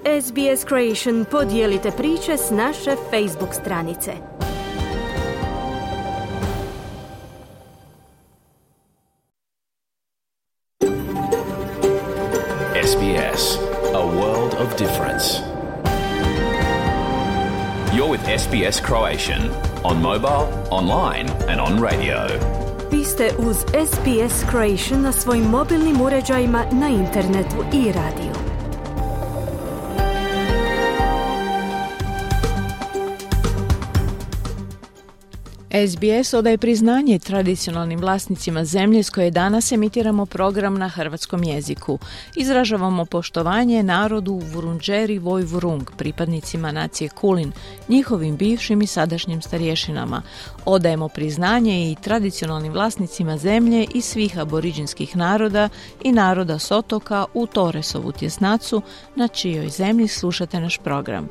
SBS Creation podijelite priče s naše Facebook stranice. SBS, a world of difference. You're with SBS Croatian on mobile, online and on radio. Vi ste uz SBS Croatian na svojim mobilnim uređajima, na internetu i radiju. SBS odaje priznanje tradicionalnim vlasnicima zemlje s koje danas emitiramo program na hrvatskom jeziku. Izražavamo poštovanje narodu Vurundjeri Woi-wurrung, pripadnicima nacije Kulin, njihovim bivšim i sadašnjim starješinama. Odajemo priznanje i tradicionalnim vlasnicima zemlje i svih aboriđinskih naroda i naroda s otoka u Torresovu tjesnacu, na čijoj zemlji slušate naš program.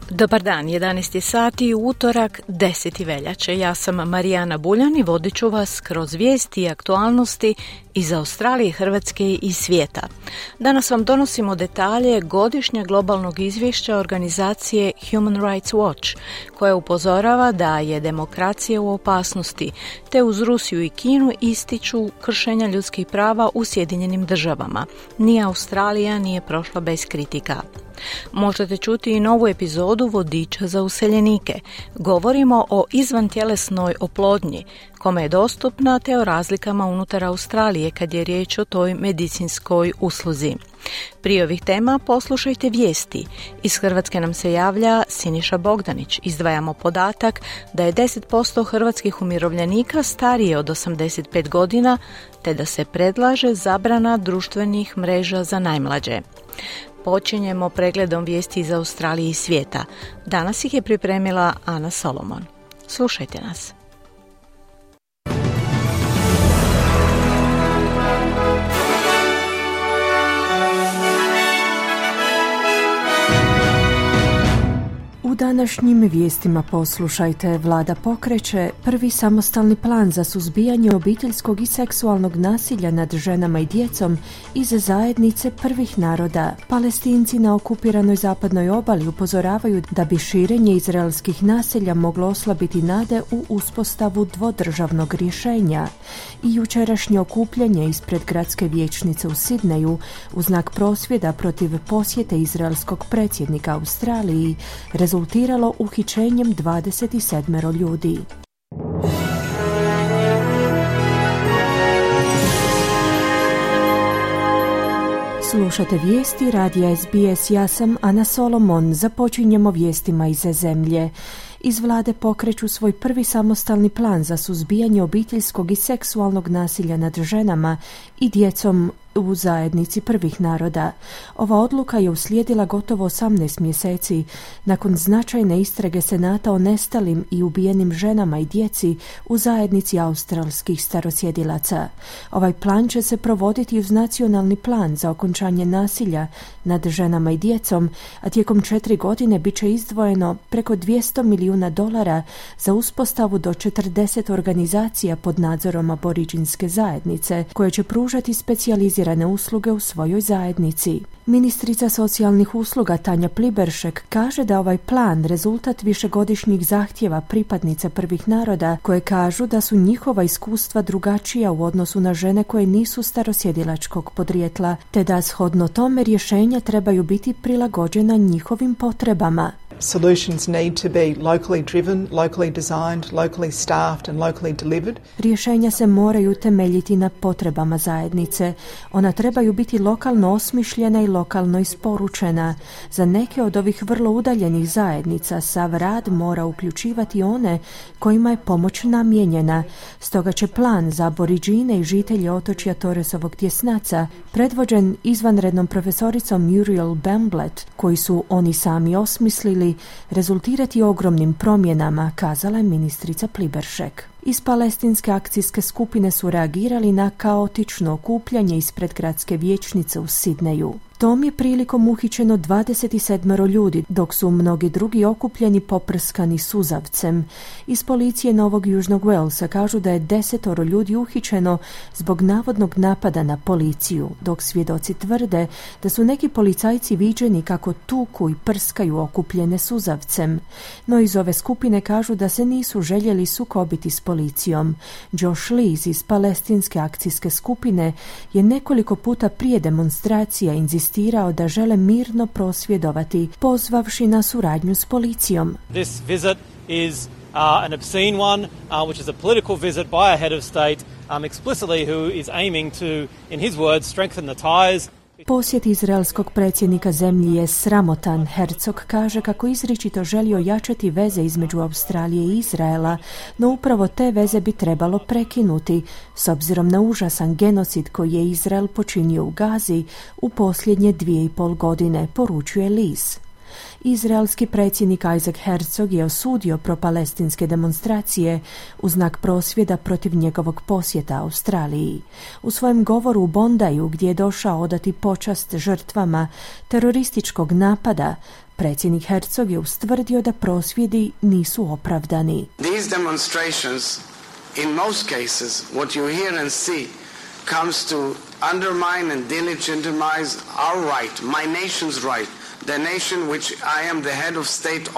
Dobar dan, 11 sati, utorak, 10. veljače. Ja sam Marijana Buljan i vodit ću vas kroz vijesti i aktualnosti iz Australije, Hrvatske i svijeta. Danas vam donosimo detalje godišnjeg globalnog izvješća organizacije Human Rights Watch, koja upozorava da je demokracija u opasnosti, te uz Rusiju i Kinu ističu kršenja ljudskih prava u Sjedinjenim državama. Ni Australija nije prošla bez kritika. Možete čuti i novu epizodu Vodiča za useljenike. Govorimo o izvantjelesnoj oplodnji, kome je dostupna, te o razlikama unutar Australije kad je riječ o toj medicinskoj usluzi. Prije ovih tema poslušajte vijesti. Iz Hrvatske nam se javlja Siniša Bogdanić. Izdvajamo podatak da je 10% hrvatskih umirovljenika starije od 85 godina, te da se predlaže zabrana društvenih mreža za najmlađe. Počinjemo pregledom vijesti iz Australije i svijeta. Danas ih je pripremila Ana Solomon. Slušajte nas. U današnjim vijestima poslušajte: Vlada pokreće prvi samostalni plan za suzbijanje obiteljskog i seksualnog nasilja nad ženama i djecom iz zajednice prvih naroda. Palestinci na okupiranoj zapadnoj obali upozoravaju da bi širenje izraelskih naselja moglo oslabiti nade u uspostavu dvodržavnog rješenja. I jučerašnje okupljanje ispred gradske vijećnice u Sidneju u znak prosvjeda protiv posjete izraelskog predsjednika Australiji rezultiralo uhićenjem 27 ljudi. Slušate vijesti radija SBS, ja sam Ana Solomon. Započinjemo vijestima iz zemlje. Iz vlade pokreću svoj prvi samostalni plan za suzbijanje obiteljskog i seksualnog nasilja nad ženama i djecom u zajednici prvih naroda. Ova odluka je uslijedila gotovo 18 mjeseci nakon značajne istrage Senata o nestalim i ubijenim ženama i djeci u zajednici australskih starosjedilaca. Ovaj plan će se provoditi uz nacionalni plan za okončanje nasilja nad ženama i djecom, a tijekom 4 godine bit će izdvojeno preko $200 milijuna za uspostavu do 40 organizacija pod nadzorom aboriđinske zajednice, koje će pružati specijalizirane usluge u svojoj zajednici. Ministrica socijalnih usluga Tanja Pliberšek kaže da ovaj plan rezultat višegodišnjih zahtjeva pripadnica prvih naroda, koje kažu da su njihova iskustva drugačija u odnosu na žene koje nisu starosjedilačkog podrijetla, te da shodno tome rješenja trebaju biti prilagođena njihovim potrebama. Solutions need to be locally driven, locally designed, locally staffed and locally delivered. Rješenja se moraju temeljiti na potrebama zajednice. Ona trebaju biti lokalno osmišljena i lokalno isporučena. Za neke od ovih vrlo udaljenih zajednica sav rad mora uključivati one kojima je pomoć namijenjena. Stoga će plan za aboriđine i žitelje otočja Torresovog tjesnaca, predvođen izvanrednom profesoricom Muriel Bamblett, koji su oni sami osmislili, rezultirati ogromnim promjenama, kazala je ministrica Pliberšek. Iz palestinske akcijske skupine su reagirali na kaotično okupljanje ispred gradske vijećnice u Sidneju. Tom je prilikom uhićeno 27 ljudi, dok su mnogi drugi okupljeni poprskani suzavcem. Iz policije Novog Južnog Walesa kažu da je 10 ljudi uhićeno zbog navodnog napada na policiju, dok svjedoci tvrde da su neki policajci viđeni kako tuku i prskaju okupljene suzavcem. No iz ove skupine kažu da se nisu željeli sukobiti s policijom. Josh Lees iz palestinske akcijske skupine je nekoliko puta prije demonstracija insistirao da žele mirno prosvjedovati, pozvavši na suradnju s policijom. This visit is an obscene one, which is a political visit by a head of state, explicitly who is aiming to, in his words, strengthen the ties. Posjet izraelskog predsjednika zemlji je sramotan. Herzog kaže kako izričito želio jačati veze između Australije i Izraela, no upravo te veze bi trebalo prekinuti, s obzirom na užasan genocid koji je Izrael počinio u Gazi u posljednje 2,5 godine, poručuje Lees. Izraelski predsjednik Isaac Herzog je osudio propalestinske demonstracije u znak prosvjeda protiv njegovog posjeta Australiji. U svojem govoru u Bondaju, gdje je došao odati počast žrtvama terorističkog napada, predsjednik Herzog je ustvrdio da prosvjedi nisu opravdani. These demonstrations, in most cases, what you hear and see comes to undermine and delegitimize our right, my nation's right, the nation which I am the head of state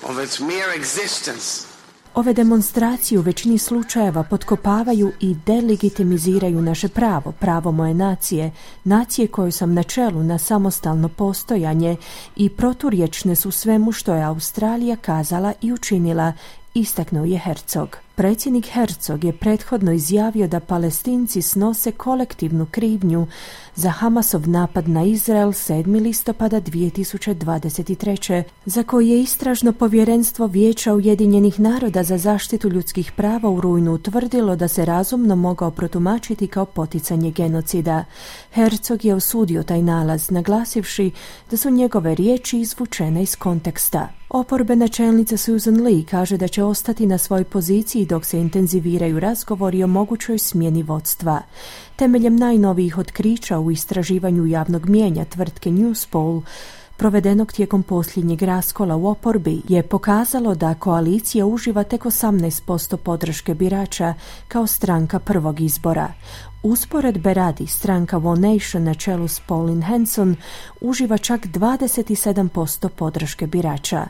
of its mere existence. Ove demonstracije u većini slučajeva potkopavaju i delegitimiziraju naše pravo, pravo moje nacije, nacije koju sam na čelu na samostalno postojanje, i proturječne su svemu što je Australija kazala i učinila, istaknuo je Herzog. Predsjednik Herzog je prethodno izjavio da Palestinci snose kolektivnu krivnju za Hamasov napad na Izrael 7. listopada 2023. za koji je istražno povjerenstvo Vijeća Ujedinjenih naroda za zaštitu ljudskih prava u rujnu utvrdilo da se razumno mogao protumačiti kao poticanje genocida. Herzog je osudio taj nalaz, naglasivši da su njegove riječi izvučene iz konteksta. Oporbena čelnica Susan Lee kaže da će ostati na svojoj poziciji dok se intenziviraju razgovori o mogućoj smjeni vodstva. Temeljem najnovijih otkrića u istraživanju javnog mijenja tvrtke Newspoll, provedenog tijekom posljednjeg raskola u oporbi, je pokazalo da koalicija uživa tek 18% podrške birača kao stranka prvog izbora. Usporedbe radi, stranka One Nation na čelu s Pauline Hanson uživa čak 27% podrške birača.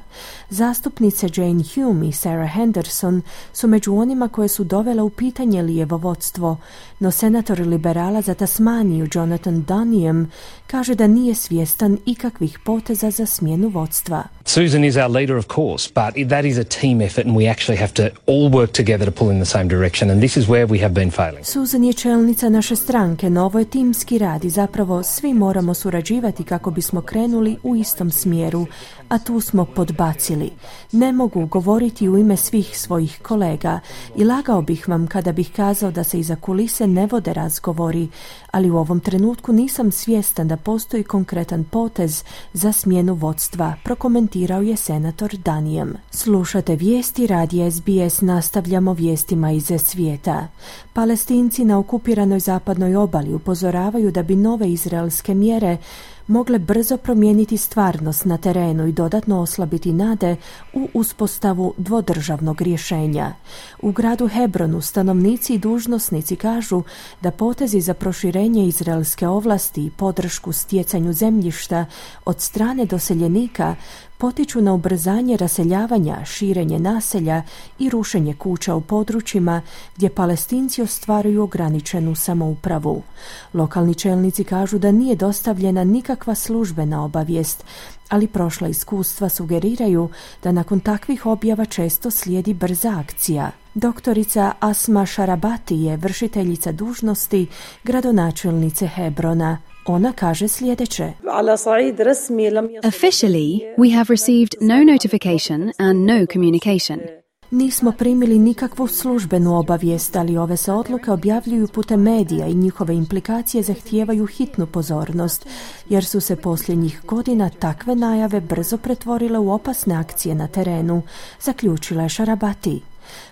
Zastupnice Jane Hume i Sarah Henderson su među onima koje su dovele u pitanje lijevo vodstvo, no senator liberala za Tasmaniju Jonathan Duniam kaže da nije svjestan ikakvih poteza za smjenu vodstva. Susan is our leader, of course, but that is a team effort and we actually have to all work together to pull in the same direction, and this is where we have been failing. Susan je čelnica naše stranke, no ovo je timski rad i zapravo svi moramo surađivati kako bismo krenuli u istom smjeru, a tu smo podbacili. Ne mogu govoriti u ime svih svojih kolega i lagao bih vam kada bih kazao da se iza kulise ne vode razgovori, ali u ovom trenutku nisam svjestan da postoji konkretan potez za smjenu vodstva, prokomentirao je senator Duniam. Slušate vijesti radija SBS, nastavljamo vijestima iz svijeta. Palestinci na okupiranoj zapadnoj obali upozoravaju da bi nove izraelske mjere mogle brzo promijeniti stvarnost na terenu i dodatno oslabiti nade u uspostavu dvodržavnog rješenja. U gradu Hebronu stanovnici i dužnosnici kažu da potezi za proširenje izraelske ovlasti i podršku stjecanju zemljišta od strane doseljenika potiču na ubrzanje raseljavanja, širenje naselja i rušenje kuća u područjima gdje Palestinci ostvaruju ograničenu samoupravu. Lokalni čelnici kažu da nije dostavljena nikakva službena obavijest, ali prošla iskustva sugeriraju da nakon takvih objava često slijedi brza akcija. Doktorica Asma Sharabati je vršiteljica dužnosti gradonačelnice Hebrona. Ona kaže sljedeće. Officially, we have received no notification and no communication. Nismo primili nikakvu službenu obavijest, ali ove se odluke objavljuju putem medija i njihove implikacije zahtijevaju hitnu pozornost, jer su se posljednjih godina takve najave brzo pretvorile u opasne akcije na terenu, zaključila je Sharabati.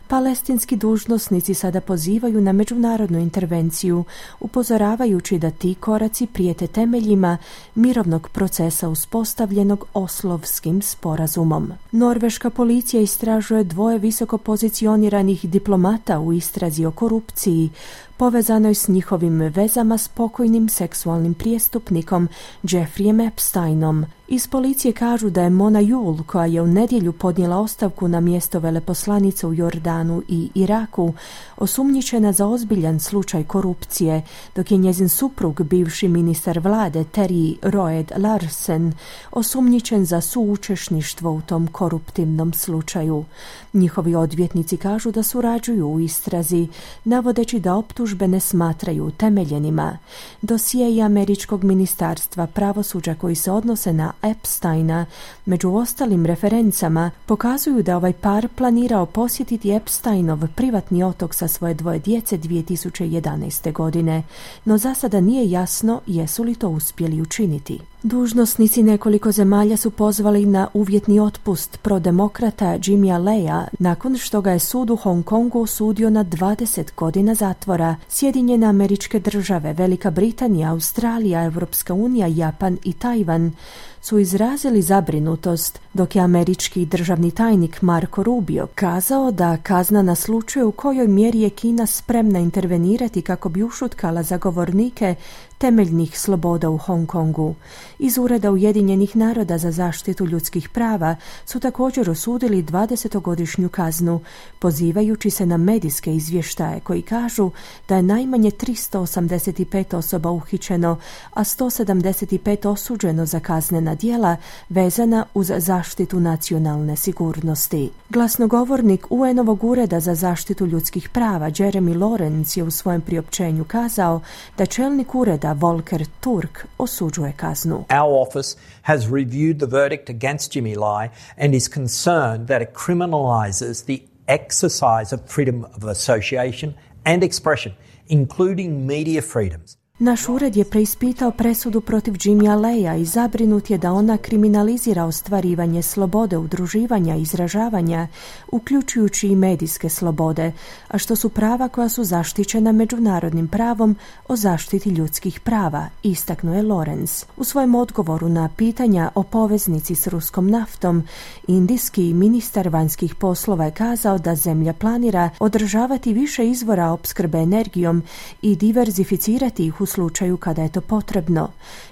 Palestinski dužnosnici sada pozivaju na međunarodnu intervenciju, upozoravajući da ti koraci prijete temeljima mirovnog procesa uspostavljenog Oslovskim sporazumom. Norveška policija istražuje 2 visoko pozicioniranih diplomata u istrazi o korupciji, povezanoj s njihovim vezama s pokojnim seksualnim prijestupnikom Jeffreyem Epsteinom. Iz policije kažu da je Mona Yul, koja je u nedjelju podnijela ostavku na mjesto veleposlanice u Jordanu i Iraku, osumnjičena za ozbiljan slučaj korupcije, dok je njezin suprug, bivši ministar vlade Terry Roed Larsen, osumnjičen za suučešništvo u tom koruptivnom slučaju. Njihovi odvjetnici kažu da surađuju u istrazi, navodeći da optužbe ne smatraju utemeljenima. Dosjei američkog ministarstva pravosuđa koji se odnose na Epsteina, među ostalim referencama, pokazuju da ovaj par planirao posjetiti Epsteinov privatni otok sa svoje 2 djece 2011. godine, no za sada nije jasno jesu li to uspjeli učiniti. Dužnosnici nekoliko zemalja su pozvali na uvjetni otpust prodemokrata Jimmya Leya nakon što ga je sud u Hong Kongu osudio na 20 godina zatvora. Sjedinjene Američke Države, Velika Britanija, Australija, Europska unija, Japan i Tajvan su izrazili zabrinutost, dok je američki državni tajnik Marco Rubio kazao da kazna naslučuje u kojoj mjeri je Kina spremna intervenirati kako bi ušutkala zagovornike temeljnih sloboda u Hong Kongu. Iz Ureda Ujedinjenih naroda za zaštitu ljudskih prava su također osudili 20-godišnju kaznu, pozivajući se na medijske izvještaje koji kažu da je najmanje 385 osoba uhićeno, a 175 osuđeno za kaznena djela vezana uz zaštitu nacionalne sigurnosti. Glasnogovornik UN-ovog Ureda za zaštitu ljudskih prava Jeremy Lawrence je u svojem priopćenju kazao da čelnik ureda Volker Turk osuđuje kaznu. Our office has reviewed the verdict against Jimmy Lai and is concerned that it criminalizes the exercise of freedom of association and expression, including media freedoms. Naš ured je preispitao presudu protiv Jimmya Leya i zabrinut je da ona kriminalizira ostvarivanje slobode udruživanja i izražavanja, uključujući i medijske slobode, a što su prava koja su zaštićena međunarodnim pravom o zaštiti ljudskih prava, istaknuo je Lawrence. U svojem odgovoru na pitanja o poveznici s ruskom naftom, indijski ministar vanjskih poslova je kazao da zemlja planira održavati više izvora opskrbe energijom i diverzificirati ih u slučaju kada je to potrebno.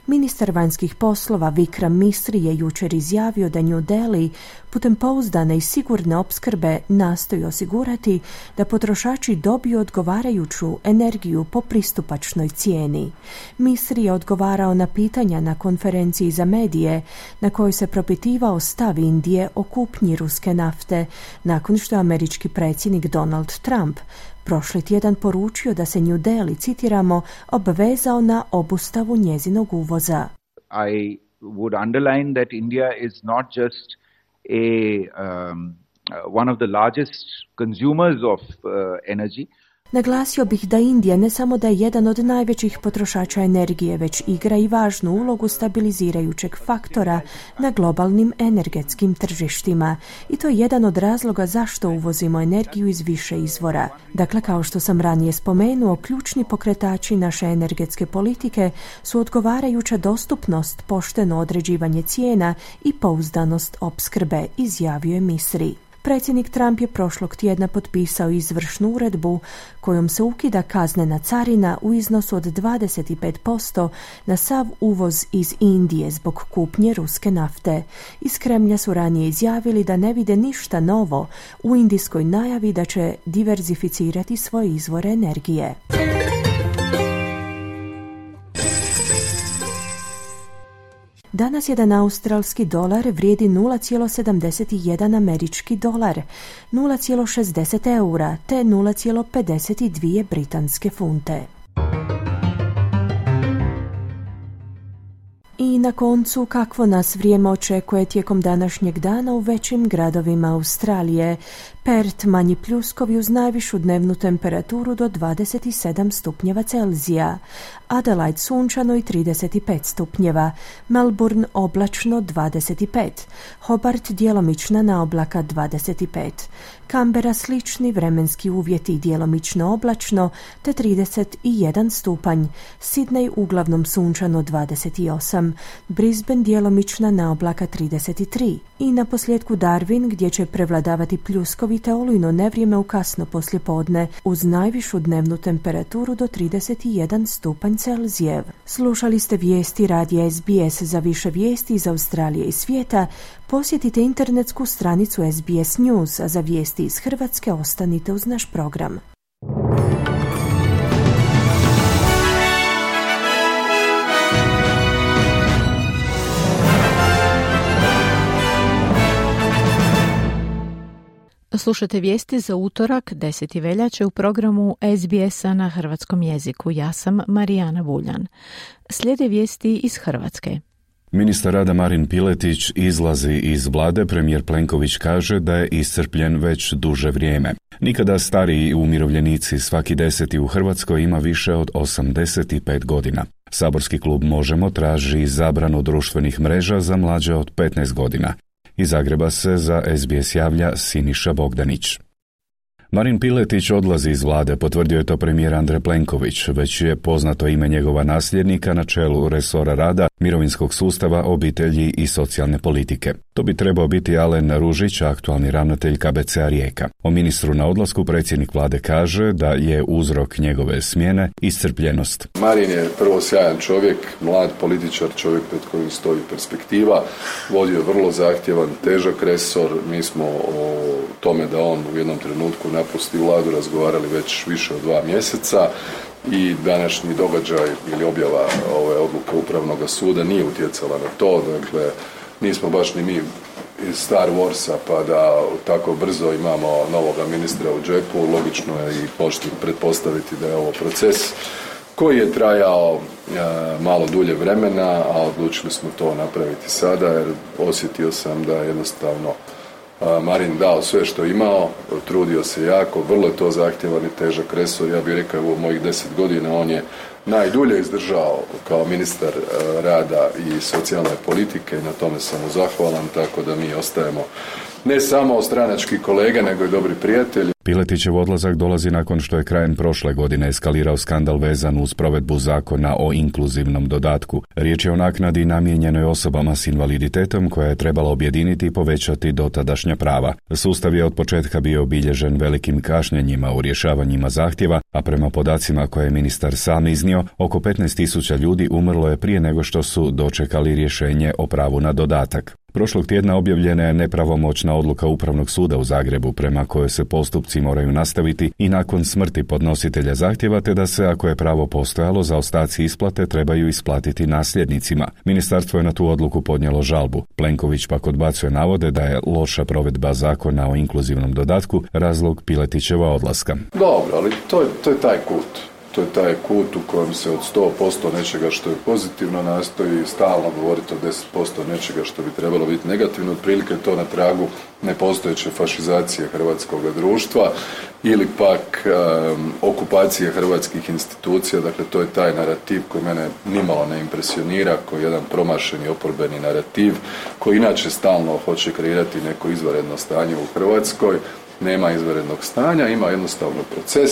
Ministar vanjskih poslova Vikram Misri je jučer izjavio da New Delhi putem pouzdane i sigurne opskrbe nastoji osigurati da potrošači dobiju odgovarajuću energiju po pristupačnoj cijeni. Misri je odgovarao na pitanja na konferenciji za medije na kojoj se propitivao stav Indije o kupnji ruske nafte nakon što je američki predsjednik Donald Trump prošli tjedan poručio da se New Delhi, citiramo, obvezao na obustavu njezinog uvoza. I would underline that India is not just one of the largest consumers of energy. Naglasio bih da Indija ne samo da je jedan od najvećih potrošača energije, već igra i važnu ulogu stabilizirajućeg faktora na globalnim energetskim tržištima. I to je jedan od razloga zašto uvozimo energiju iz više izvora. Dakle, kao što sam ranije spomenuo, ključni pokretači naše energetske politike su odgovarajuća dostupnost, pošteno određivanje cijena i pouzdanost opskrbe, izjavio je Misri. Predsjednik Trump je prošlog tjedna potpisao izvršnu uredbu kojom se ukida kaznena carina u iznosu od 25% na sav uvoz iz Indije zbog kupnje ruske nafte. Iz Kremlja su ranije izjavili da ne vide ništa novo u indijskoj najavi da će diverzificirati svoje izvore energije. Danas jedan australski dolar vrijedi 0,71 američki dolar, 0,60 eura te 0,52 britanske funte. I na koncu, kakvo nas vrijeme očekuje tijekom današnjeg dana u većim gradovima Australije. Perth manji pljuskovi uz najvišu dnevnu temperaturu do 27 stupnjeva Celzija. Adelaide sunčano i 35 stupnjeva. Melbourne oblačno 25. Hobart djelomična naoblaka 25. Canberra slični vremenski uvjeti djelomično oblačno te 31 stupanj. Sydney uglavnom sunčano 28. Brisbane djelomična naoblaka 33. I na posljedku Darwin gdje će prevladavati pljuskovi te olujno nevrijeme u kasno poslijepodne uz najvišu dnevnu temperaturu do 31 stupanj Celzijev. Slušali ste vijesti radija SBS. Za više vijesti iz Australije i svijeta posjetite internetsku stranicu SBS News, a za vijesti iz Hrvatske ostanite uz naš program. Slušate vijesti za utorak 10. veljače u programu SBS-a na hrvatskom jeziku. Ja sam Marijana Vuljan. Slijede vijesti iz Hrvatske. Ministar rada Marin Piletić izlazi iz vlade. Premijer Plenković kaže da je iscrpljen već duže vrijeme. Nikada stariji umirovljenici, svaki 10. u Hrvatskoj ima više od 85 godina. Saborski klub Možemo traži zabranu društvenih mreža za mlađe od 15 godina. Iz Zagreba se za SBS javlja Siniša Bogdanić. Marin Piletić odlazi iz vlade, potvrdio je to premijer Andrej Plenković. Već je poznato ime njegova nasljednika na čelu resora rada, mirovinskog sustava, obitelji i socijalne politike. To bi trebao biti Alen Ružić, aktualni ravnatelj KBC-a Rijeka. O ministru na odlasku predsjednik vlade kaže da je uzrok njegove smjene iscrpljenost. Marin je prvo sjajan čovjek, mlad političar, čovjek pred kojim stoji perspektiva, vodio vrlo zahtjevan, težak resor. Mi smo o tome da on u jednom trenutku napusti vladu razgovarali već više od 2 mjeseca i današnji događaj ili objava ove odluke Upravnog suda nije utjecala na to. Dakle, nismo baš ni mi iz Star Warsa pa da tako brzo imamo novoga ministra u džepu. Logično je i pošteno pretpostaviti da je ovo proces koji je trajao malo dulje vremena, a odlučili smo to napraviti sada jer osjetio sam da jednostavno Marin dao sve što je imao, trudio se jako, vrlo je to zahtjevan i težak resor. Ja bih rekao u mojih 10 godina on je najdulje izdržao kao ministar rada i socijalne politike i na tome sam mu zahvalan, tako da mi ostajemo ne samo stranački kolege, nego i dobri prijatelji. Piletićev odlazak dolazi nakon što je krajem prošle godine eskalirao skandal vezan uz provedbu zakona o inkluzivnom dodatku. Riječ je o naknadi namijenjenoj osobama s invaliditetom koja je trebala objediniti i povećati dotadašnja prava. Sustav je od početka bio obilježen velikim kašnjenjima u rješavanjima zahtjeva, a prema podacima koje je ministar sam iznio, oko 15.000 ljudi umrlo je prije nego što su dočekali rješenje o pravu na dodatak. Prošlog tjedna objavljena je nepravomoćna odluka Upravnog suda u Zagrebu prema kojoj se postupci moraju nastaviti i nakon smrti podnositelja zahtjeva, te da se, ako je pravo postojalo, zaostaci isplate trebaju isplatiti nasljednicima. Ministarstvo je na tu odluku podnijelo žalbu. Plenković pak odbacuje navode da je loša provedba zakona o inkluzivnom dodatku razlog Piletićeva odlaska. Dobro, ali to je taj kut. To je taj kut u kojem se od 100% nečega što je pozitivno nastoji stalno govoriti o 10% nečega što bi trebalo biti negativno. Otprilike to na tragu nepostojeće fašizacije hrvatskog društva ili pak okupacije hrvatskih institucija. Dakle, to je taj narativ koji mene nimalo ne impresionira, koji je jedan promašeni oporbeni narativ, koji inače stalno hoće kreirati neko izvanredno stanje u Hrvatskoj. Nema izvanrednog stanja, ima jednostavno proces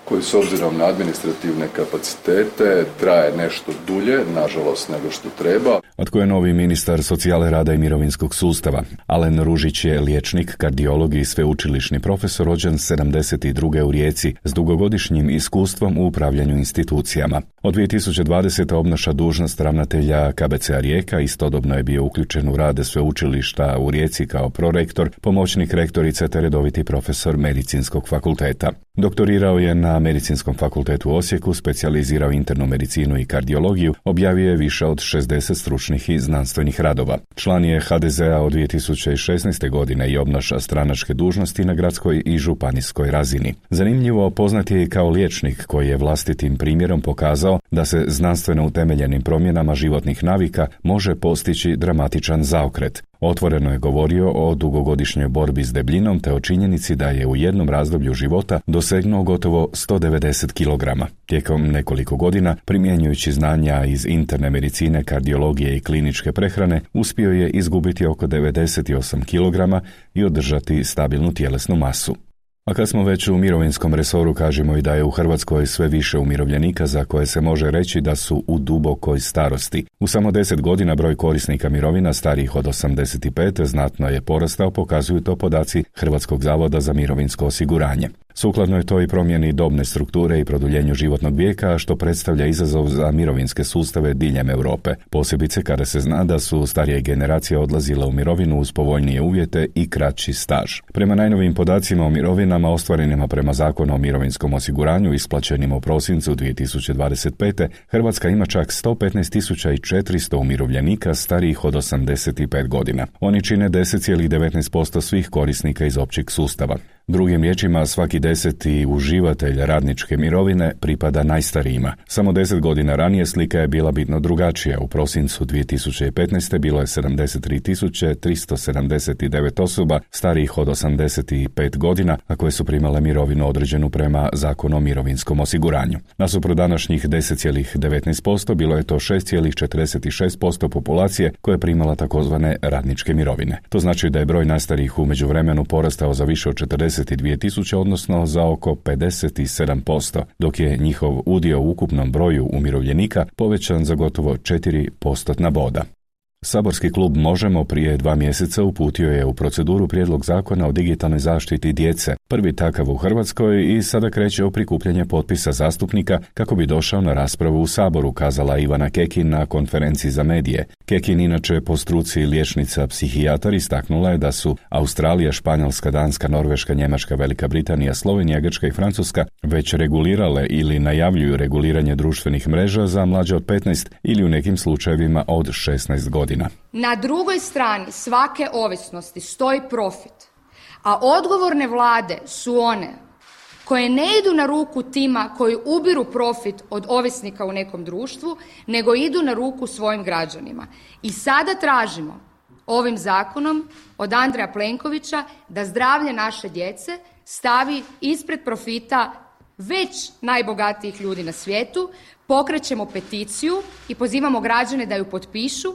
koji s obzirom na administrativne kapacitete traje nešto dulje, nažalost, nego što treba. A tko je novi ministar socijale, rada i mirovinskog sustava? Alen Ružić je liječnik, kardiolog i sveučilišni profesor, rođen 72. u Rijeci, s dugogodišnjim iskustvom u upravljanju institucijama. Od 2020. obnaša dužnost ravnatelja KBC-a Rijeka, istodobno je bio uključen u rad sveučilišta u Rijeci kao prorektor, pomoćnik rektorice te redoviti profesor medicinskog fakulteta. Doktorirao je na na Medicinskom fakultetu u Osijeku, specijalizirao internu medicinu i kardiologiju, objavio je više od 60 stručnih i znanstvenih radova. Član je HDZ-a od 2016. godine i obnaša stranačke dužnosti na gradskoj i županijskoj razini. Zanimljivo, poznat je i kao liječnik koji je vlastitim primjerom pokazao da se znanstveno utemeljenim promjenama životnih navika može postići dramatičan zaokret. Otvoreno je govorio o dugogodišnjoj borbi s debljinom te o činjenici da je u jednom razdoblju života dosegnuo gotovo 190 kg. Tijekom nekoliko godina, primjenjujući znanja iz interne medicine, kardiologije i kliničke prehrane, uspio je izgubiti oko 98 kg i održati stabilnu tjelesnu masu. A kad smo već u mirovinskom resoru, kažemo i da je u Hrvatskoj sve više umirovljenika za koje se može reći da su u dubokoj starosti. U samo 10 godina broj korisnika mirovina starijih od 85 znatno je porastao, pokazuju to podaci Hrvatskog zavoda za mirovinsko osiguranje. Sukladno je to i promjeni dobne strukture i produljenju životnog vijeka, što predstavlja izazov za mirovinske sustave diljem Europe, posebice kada se zna da su starije generacije odlazile u mirovinu uz povoljnije uvjete i kraći staž. Prema najnovijim podacima o mirovinama ostvarenima prema Zakonu o mirovinskom osiguranju isplaćenim u prosincu 2025. Hrvatska ima čak 115.400 umirovljenika starijih od 85 godina. Oni čine 10,19% svih korisnika iz općeg sustava. Drugim riječima, svaki 10. uživatelj radničke mirovine pripada najstarijima. Samo 10 godina ranije slika je bila bitno drugačija. U prosincu 2015. bilo je 73.379 osoba starijih od 85 godina, a koje su primale mirovinu određenu prema Zakonu o mirovinskom osiguranju. Nasuprot današnjih 10,19% bilo je to 6,46% populacije koja je primala takozvane radničke mirovine. To znači da je broj najstarijih u međuvremenu porastao za više od 42.000, odnosno za oko 57%, dok je njihov udio u ukupnom broju umirovljenika povećan za gotovo 4% boda. Saborski klub Možemo prije 2 mjeseca uputio je u proceduru prijedlog zakona o digitalnoj zaštiti djece, prvi takav u Hrvatskoj, i sada kreće o prikupljanje potpisa zastupnika kako bi došao na raspravu u Saboru, kazala Ivana Kekin na konferenciji za medije. Kekin, inače po struci liječnica psihijatar, istaknula je da su Australija, Španjolska, Danska, Norveška, Njemačka, Velika Britanija, Slovenija, Grčka i Francuska već regulirale ili najavljuju reguliranje društvenih mreža za mlađe od 15 ili u nekim slučajevima od 16 godina. Na drugoj strani svake ovisnosti stoji profit, a odgovorne vlade su one koje ne idu na ruku tima koji ubiru profit od ovisnika u nekom društvu, nego idu na ruku svojim građanima. I sada tražimo ovim zakonom od Andreja Plenkovića da zdravlje naše djece stavi ispred profita već najbogatijih ljudi na svijetu. Pokrećemo peticiju i pozivamo građane da ju potpišu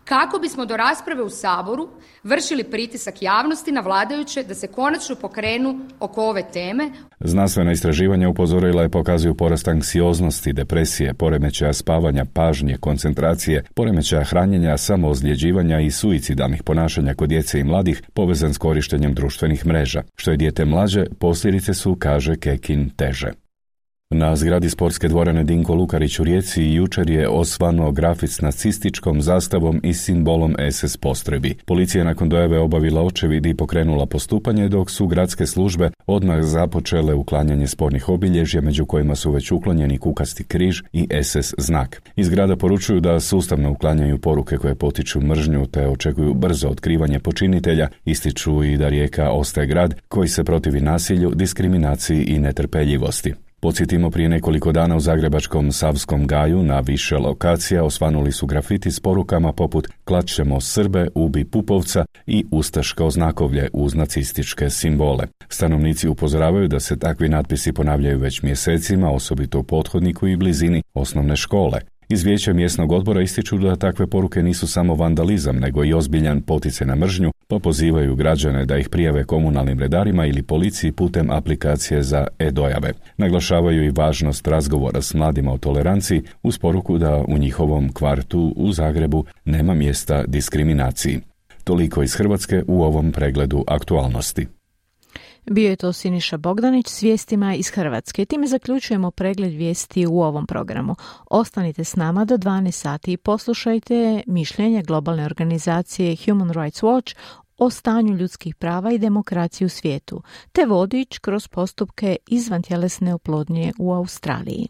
kako bismo do rasprave u Saboru vršili pritisak javnosti na vladajuće da se konačno pokrenu oko ove teme. Znanstvena istraživanja upozorila je pokazuju porast anksioznosti, depresije, poremećaja spavanja, pažnje, koncentracije, poremećaja hranjenja, samoozljeđivanja i suicidalnih ponašanja kod djece i mladih povezan s korištenjem društvenih mreža. Što je dijete mlađe, posljedice su, kaže Kekin, teže. Na zgradi sportske dvorane Dinko Lukarić u Rijeci jučer je osvanuo grafit s nacističkom zastavom i simbolom SS postrojbi. Policija je nakon dojave obavila očevid i pokrenula postupanje, dok su gradske službe odmah započele uklanjanje spornih obilježja, među kojima su već uklonjeni kukasti križ i SS znak. Iz grada poručuju da sustavno uklanjaju poruke koje potiču mržnju te očekuju brzo otkrivanje počinitelja. Ističu i da Rijeka ostaje grad koji se protivi nasilju, diskriminaciji i netrpeljivosti. Podsjetimo, prije nekoliko dana u zagrebačkom Savskom gaju na više lokacija osvanuli su grafiti s porukama poput "Klat ćemo Srbe, ubi Pupovca" i "Ustaško znakovlje" uz nacističke simbole. Stanovnici upozoravaju da se takvi natpisi ponavljaju već mjesecima, osobito u pothodniku i blizini osnovne škole. Iz vijeća mjesnog odbora ističu da takve poruke nisu samo vandalizam, nego i ozbiljan poticaj na mržnju, pa pozivaju građane da ih prijave komunalnim redarima ili policiji putem aplikacije za e-dojave. Naglašavaju i važnost razgovora s mladima o toleranciji uz poruku da u njihovom kvartu u Zagrebu nema mjesta diskriminaciji. Toliko iz Hrvatske u ovom pregledu aktualnosti. Bio je to Siniša Bogdanić s vijestima iz Hrvatske. Time zaključujemo pregled vijesti u ovom programu. Ostanite s nama do 12 sati i poslušajte mišljenje globalne organizacije Human Rights Watch o stanju ljudskih prava i demokracije u svijetu, te vodič kroz postupke izvantjelesne oplodnje u Australiji.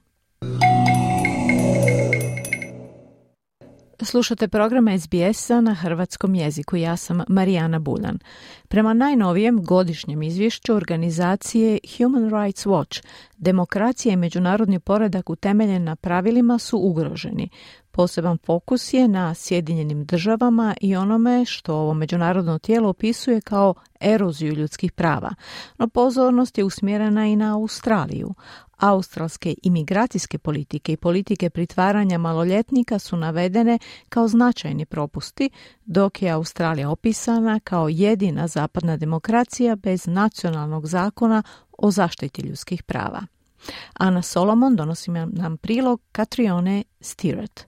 Slušate program SBS-a na hrvatskom jeziku. Ja sam Marijana Buljan. Prema najnovijem godišnjem izvješću organizacije Human Rights Watch, demokracija i međunarodni poredak utemeljen na pravilima su ugroženi. Poseban fokus je na Sjedinjenim državama i onome što ovo međunarodno tijelo opisuje kao eroziju ljudskih prava. No pozornost je usmjerena i na Australiju. Australske imigracijske politike i politike pritvaranja maloljetnika su navedene kao značajni propusti, dok je Australija opisana kao jedina zapadna demokracija bez nacionalnog zakona o zaštiti ljudskih prava. Ana Solomon donosi nam prilog Catrione Stirrat.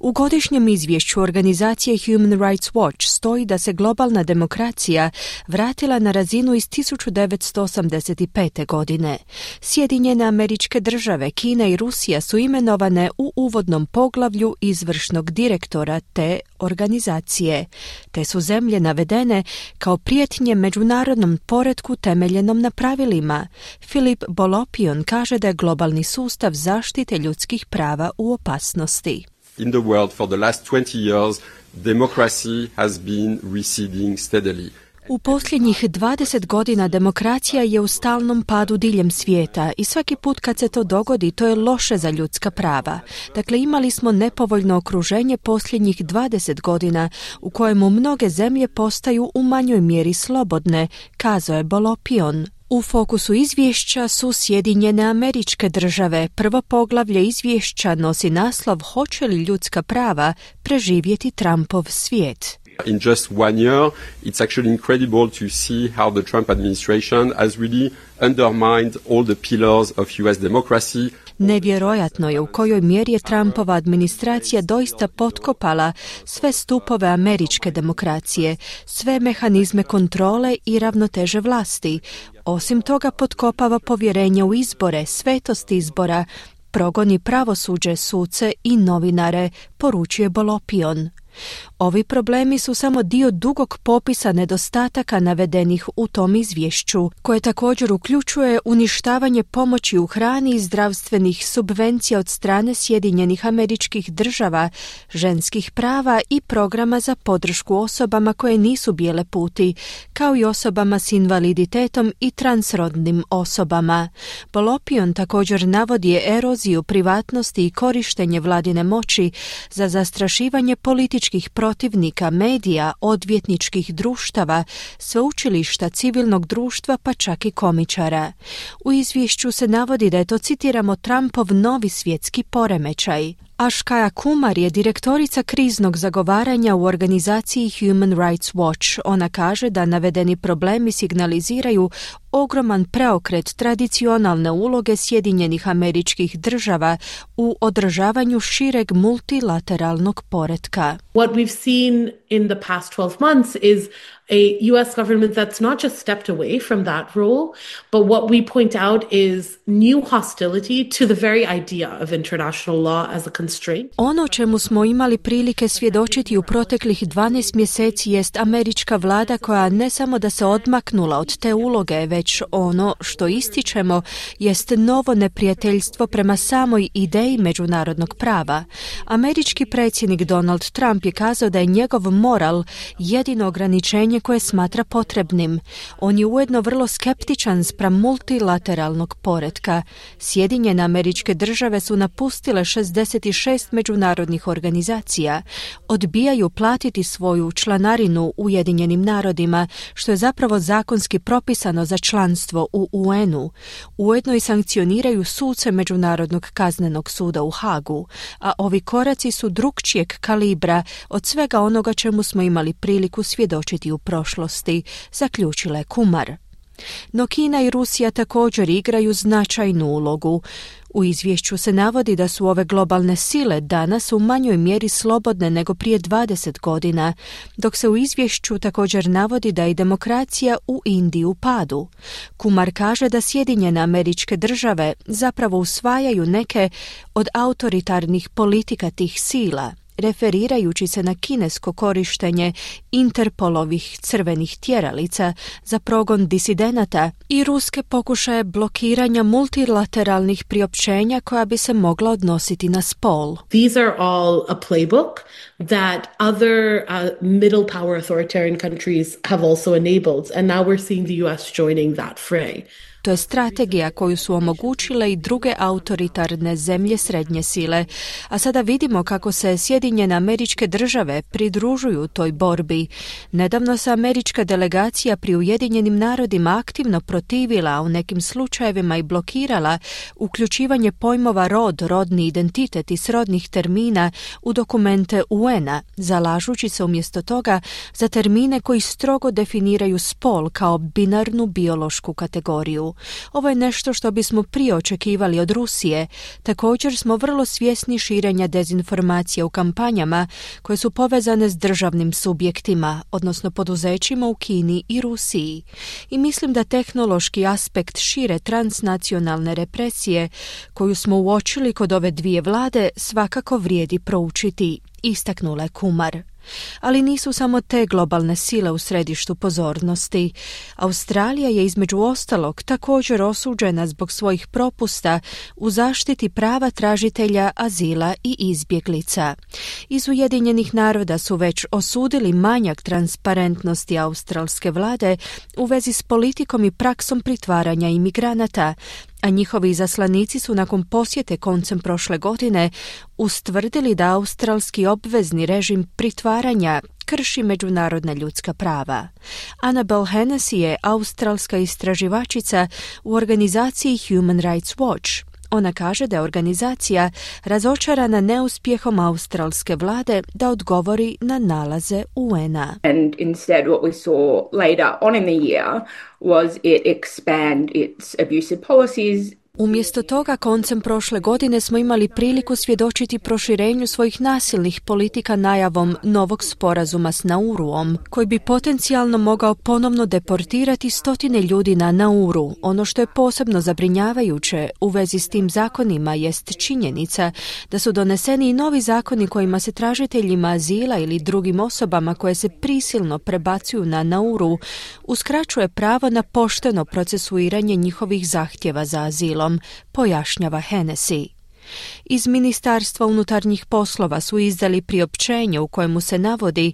U godišnjem izvješću organizacije Human Rights Watch stoji da se globalna demokracija vratila na razinu iz 1985. godine. Sjedinjene Američke Države, Kina i Rusija su imenovane u uvodnom poglavlju izvršnog direktora te organizacije, te su zemlje navedene kao prijetnje međunarodnom poretku temeljenom na pravilima. Filip Bolopion kaže da je globalni sustav zaštite ljudskih prava u opasnosti. In the world for the last 20 years, democracy has been receding steadily. U posljednjih 20 godina demokracija je u stalnom padu diljem svijeta i svaki put kad se to dogodi, to je loše za ljudska prava. Dakle, imali smo nepovoljno okruženje posljednjih 20 godina u kojemu mnoge zemlje postaju u manjoj mjeri slobodne, kazao je Bolopion. U fokusu izvješća su Sjedinjene Američke Države. Prvo poglavlje izvješća nosi naslov Hoće li ljudska prava preživjeti Trumpov svijet? In just 1 year, it's actually incredible to see how the Trump administration has really undermined all the pillars of US democracy. Nevjerojatno je u kojoj mjeri je Trumpova administracija doista potkopala sve stupove američke demokracije, sve mehanizme kontrole i ravnoteže vlasti. Osim toga potkopava povjerenje u izbore, svetost izbora, progoni pravosuđe, suce i novinare, poručuje Bolopion. Ovi problemi su samo dio dugog popisa nedostataka navedenih u tom izvješću, koje također uključuje uništavanje pomoći u hrani i zdravstvenih subvencija od strane Sjedinjenih Američkih Država, ženskih prava i programa za podršku osobama koje nisu bijele puti, kao i osobama s invaliditetom i transrodnim osobama. Bolopion također navodi eroziju privatnosti i korištenje vladine moći za zastrašivanje političkih protivnika, medija, odvjetničkih društava, sveučilišta, civilnog društva pa čak i komičara. U izvješću se navodi da je to, citiramo, Trumpov novi svjetski poremećaj. Ashkaya Kumar je direktorica kriznog zagovaranja u organizaciji Human Rights Watch. Ona kaže da navedeni problemi signaliziraju ogroman preokret tradicionalne uloge Sjedinjenih Američkih Država u održavanju šireg multilateralnog poretka. What we've seen in the past 12 months is a US government that's not just stepped away from that role, but what we point out is new hostility to the very idea of international law as a constraint. Ono čemu smo imali prilike svjedočiti u proteklih 12 mjeseci jest američka vlada koja ne samo da se odmaknula od te uloge, već ono što ističemo jest novo neprijateljstvo prema samoj ideji međunarodnog prava. Američki predsjednik Donald Trump je kazao da je njegov moral jedino ograničenje koje smatra potrebnim. On je ujedno vrlo skeptičan spram multilateralnog poretka. Sjedinjene Američke Države su napustile 66 međunarodnih organizacija. Odbijaju platiti svoju članarinu Ujedinjenim narodima, što je zapravo zakonski propisano za članstvo u UN-u. Ujedno i sankcioniraju suce Međunarodnog kaznenog suda u Hagu, a ovi koraci su drukčijeg kalibra od svega onoga čemu smo imali priliku svjedočiti u prošlosti, zaključila je Kumar. No Kina i Rusija također igraju značajnu ulogu. U izvješću se navodi da su ove globalne sile danas u manjoj mjeri slobodne nego prije 20 godina, dok se u izvješću također navodi da je demokracija u Indiji u padu. Kumar kaže da Sjedinjene Američke Države zapravo usvajaju neke od autoritarnih politika tih sila. referirajući se na kinesko korištenje Interpolovih crvenih tjeralica za progon disidenata i ruske pokušaje blokiranja multilateralnih priopćenja koja bi se mogla odnositi na spol. These are all a playbook that other middle power authoritarian countries have also enabled, and now we're seeing the US joining that fray. To je strategija koju su omogućile i druge autoritarne zemlje srednje sile, a sada vidimo kako se Sjedinjene Američke Države pridružuju toj borbi. Nedavno se američka delegacija pri Ujedinjenim narodima aktivno protivila, a u nekim slučajevima i blokirala uključivanje pojmova rod, rodni identitet i srodnih termina u dokumente UN-a, zalažući se umjesto toga za termine koji strogo definiraju spol kao binarnu biološku kategoriju. Ovo je nešto što bismo prije očekivali od Rusije. Također smo vrlo svjesni širenja dezinformacija u kampanjama koje su povezane s državnim subjektima, odnosno poduzećima u Kini i Rusiji. I mislim da tehnološki aspekt šire transnacionalne represije koju smo uočili kod ove dvije vlade svakako vrijedi proučiti, istaknula je Kumar. Ali nisu samo te globalne sile u središtu pozornosti. Australija je između ostalog također osuđena zbog svojih propusta u zaštiti prava tražitelja azila i izbjeglica. Iz Ujedinjenih naroda su već osudili manjak transparentnosti australske vlade u vezi s politikom i praksom pritvaranja imigranata, a njihovi izaslanici su nakon posjete koncem prošle godine ustvrdili da australski obvezni režim pritvaranja krši međunarodna ljudska prava. Annabelle Hennessy je australska istraživačica u organizaciji Human Rights Watch. Ona kaže da je organizacija razočarana neuspjehom australske vlade da odgovori na nalaze UN-a. And instead what we saw later on in the year was it expand its abusive policies. Umjesto toga, koncem prošle godine smo imali priliku svjedočiti proširenju svojih nasilnih politika najavom novog sporazuma s Nauruom, koji bi potencijalno mogao ponovno deportirati stotine ljudi na Nauru. Ono što je posebno zabrinjavajuće u vezi s tim zakonima jest činjenica da su doneseni i novi zakoni kojima se tražiteljima azila ili drugim osobama koje se prisilno prebacuju na Nauru uskraćuje pravo na pošteno procesuiranje njihovih zahtjeva za azilom, pojašnjava Hennessy. Iz Ministarstva unutarnjih poslova su izdali priopćenje u kojemu se navodi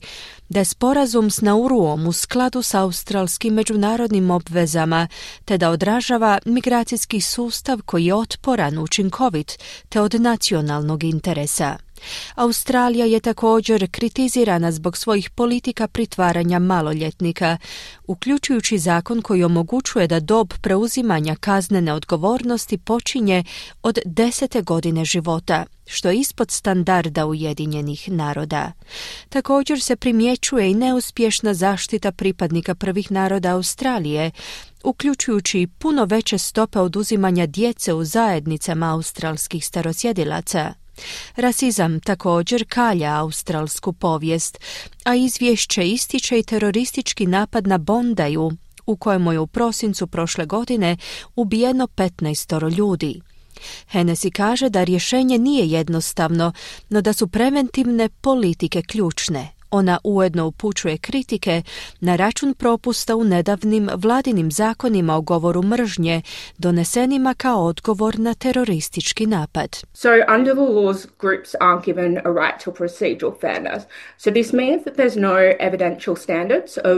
da je sporazum s Nauruom u skladu s australskim međunarodnim obvezama te da odražava migracijski sustav koji je otporan, učinkovit te od nacionalnog interesa. Australija je također kritizirana zbog svojih politika pritvaranja maloljetnika, uključujući zakon koji omogućuje da dob preuzimanja kaznene odgovornosti počinje od 10. godine života, što je ispod standarda Ujedinjenih naroda. Također se primjećuje i neuspješna zaštita pripadnika prvih naroda Australije, uključujući puno veće stope oduzimanja djece u zajednicama australskih starosjedilaca. Rasizam također kalja australsku povijest, a izvješće ističe i teroristički napad na Bondaju, u kojemu je u prosincu prošle godine ubijeno 15 ljudi. Hennessy kaže da rješenje nije jednostavno, no da su preventivne politike ključne. Ona ujedno upućuje kritike na račun propusta u nedavnim vladinim zakonima o govoru mržnje, donesenima kao odgovor na teroristički napad. So under the laws, groups aren't given a right to procedural fairness. So this means that there's no evidential standards of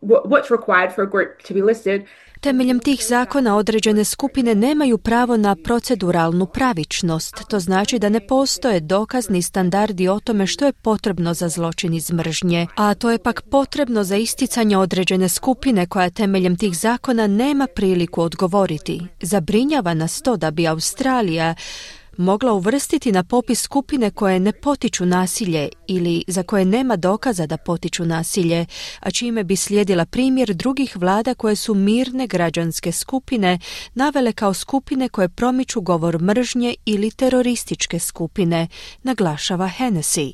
what's required for a group to be listed. Temeljem tih zakona određene skupine nemaju pravo na proceduralnu pravičnost. To znači da ne postoje dokazni standardi o tome što je potrebno za zločin iz mržnje, a to je pak potrebno za isticanje određene skupine koja temeljem tih zakona nema priliku odgovoriti. Zabrinjava nas to da bi Australija mogla uvrstiti na popis skupine koje ne potiču nasilje ili za koje nema dokaza da potiču nasilje, a čime bi slijedila primjer drugih vlada koje su mirne građanske skupine navele kao skupine koje promiču govor mržnje ili terorističke skupine, naglašava Hennessy.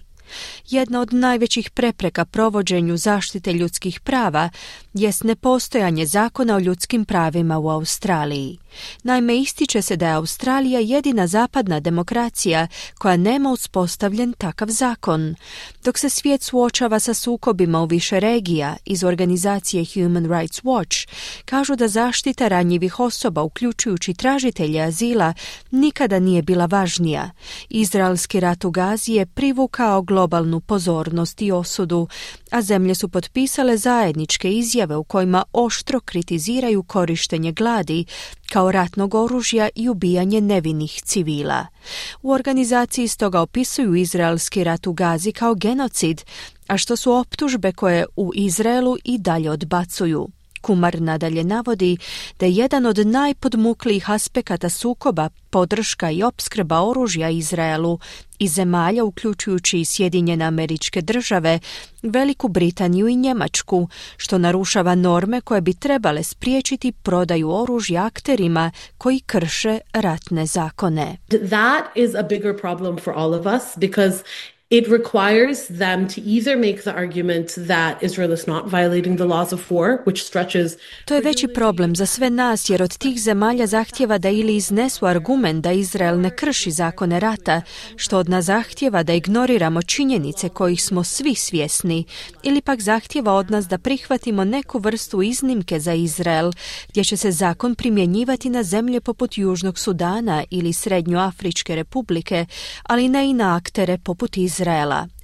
Jedna od najvećih prepreka provođenju zaštite ljudskih prava jest nepostojanje zakona o ljudskim pravima u Australiji. Naime, ističe se da je Australija jedina zapadna demokracija koja nema uspostavljen takav zakon. Dok se svijet suočava sa sukobima u više regija, iz organizacije Human Rights Watch kažu da zaštita ranjivih osoba, uključujući tražitelje azila, nikada nije bila važnija. Izraelski rat u Gazi je privukao globalnu pozornost i osudu, a zemlje su potpisale zajedničke izjave u kojima oštro kritiziraju korištenje gladi kao ratnog oružja i ubijanje nevinih civila. U organizaciji stoga opisuju izraelski rat u Gazi kao genocid, a što su optužbe koje u Izraelu i dalje odbacuju. Kumar nadalje navodi da je jedan od najpodmuklijih aspekata sukoba podrška i opskrba oružja Izraelu i zemalja, uključujući i Sjedinjene Američke Države, Veliku Britaniju i Njemačku, što narušava norme koje bi trebale spriječiti prodaju oružja akterima koji krše ratne zakone. That is a bigger problem for all of us because it requires them to either make the argument that Israel is not violating the laws of war, which stretches... To je veći problem za sve nas, jer od tih zemalja zahtjeva da ili iznesu argument da Izrael ne krši zakone rata, što od nas zahtjeva da ignoriramo činjenice kojih smo svi svjesni, ili pak zahtjeva od nas da prihvatimo neku vrstu iznimke za Izrael, gdje će se zakon primjenjivati na zemlje poput Južnog Sudana ili Srednjoafričke republike, ali ne i na aktere poput Izraela.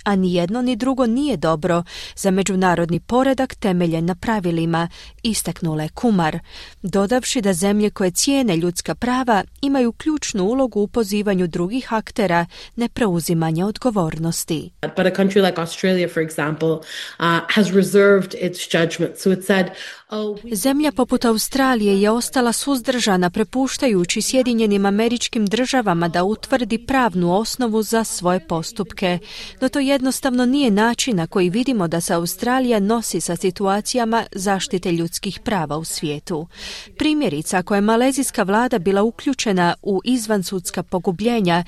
A ni jedno ni drugo nije dobro za međunarodni poredak temeljen na pravilima, istaknula je Kumar, dodavši da zemlje koje cijene ljudska prava imaju ključnu ulogu u pozivanju drugih aktera na preuzimanje odgovornosti. But a country like Australia, for example, has reserved its judgment. So it said, zemlja poput Australije je ostala suzdržana, prepuštajući Sjedinjenim Američkim Državama da utvrdi pravnu osnovu za svoje postupke. No to jednostavno nije način na koji vidimo da se Australija nosi sa situacijama zaštite ljudskih prava u svijetu. Primjerice, ako je malezijska vlada bila uključena u izvansudska pogubljenja,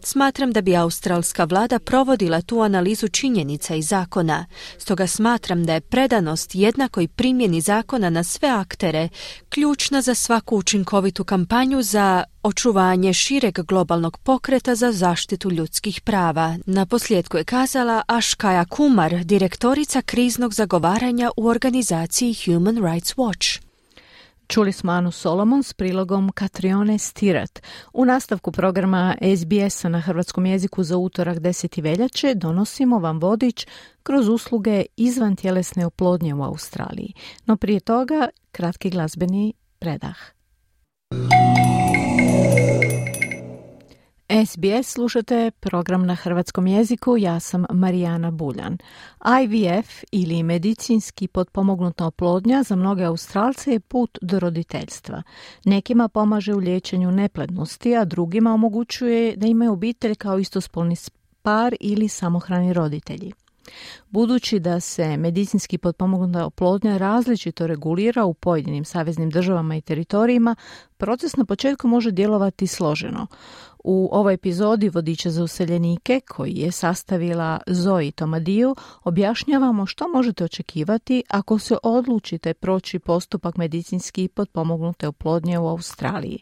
smatram da bi australska vlada provodila tu analizu činjenica i zakona. Stoga smatram da je predanost jednakoj primjeni zakona na sve aktere ključna za svaku učinkovitu kampanju za očuvanje šireg globalnog pokreta za zaštitu ljudskih prava. Naposljetku je kazala Ashkaya Kumar, direktorica kriznog zagovaranja u organizaciji Human Rights Watch. Čuli smo Anu Solomon s prilogom Katrione Stirat. U nastavku programa SBS-a na hrvatskom jeziku za utorak 10. veljače donosimo vam vodič kroz usluge izvantjelesne oplodnje u Australiji. No prije toga kratki glazbeni predah. SBS slušate program na hrvatskom jeziku, ja sam Marijana Buljan. IVF ili medicinski potpomognuta oplodnja za mnoge Australce je put do roditeljstva. Nekima pomaže u liječenju neplodnosti, a drugima omogućuje da imaju obitelj kao istospolni par ili samohrani roditelji. Budući da se medicinski potpomognuta oplodnja različito regulira u pojedinim saveznim državama i teritorijima, proces na početku može djelovati složeno. U ovoj epizodi Vodiča za useljenike, koji je sastavila Zoe Tomadiju, objašnjavamo što možete očekivati ako se odlučite proći postupak medicinski potpomognute oplodnje u Australiji.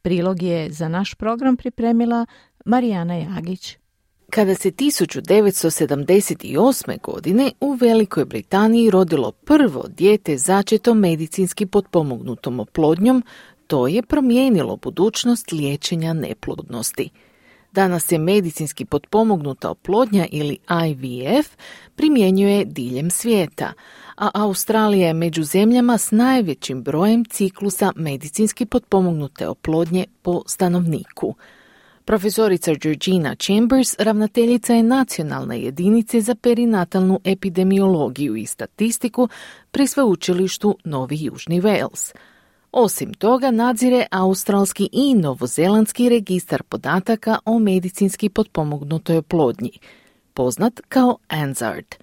Prilog je za naš program pripremila Marijana Jagić. Kada se 1978. godine u Velikoj Britaniji rodilo prvo dijete začeto medicinski potpomognutom oplodnjom, to je promijenilo budućnost liječenja neplodnosti. Danas se medicinski potpomognuta oplodnja ili IVF primjenjuje diljem svijeta, a Australija je među zemljama s najvećim brojem ciklusa medicinski potpomognute oplodnje po stanovniku. Profesorica Georgina Chambers, ravnateljica je Nacionalne jedinice za perinatalnu epidemiologiju i statistiku pri sveučilištu Novi Južni Wales. Osim toga, nadzire australski i novozelandski registar podataka o medicinski potpomognutoj oplodnji, poznat kao ANZARD.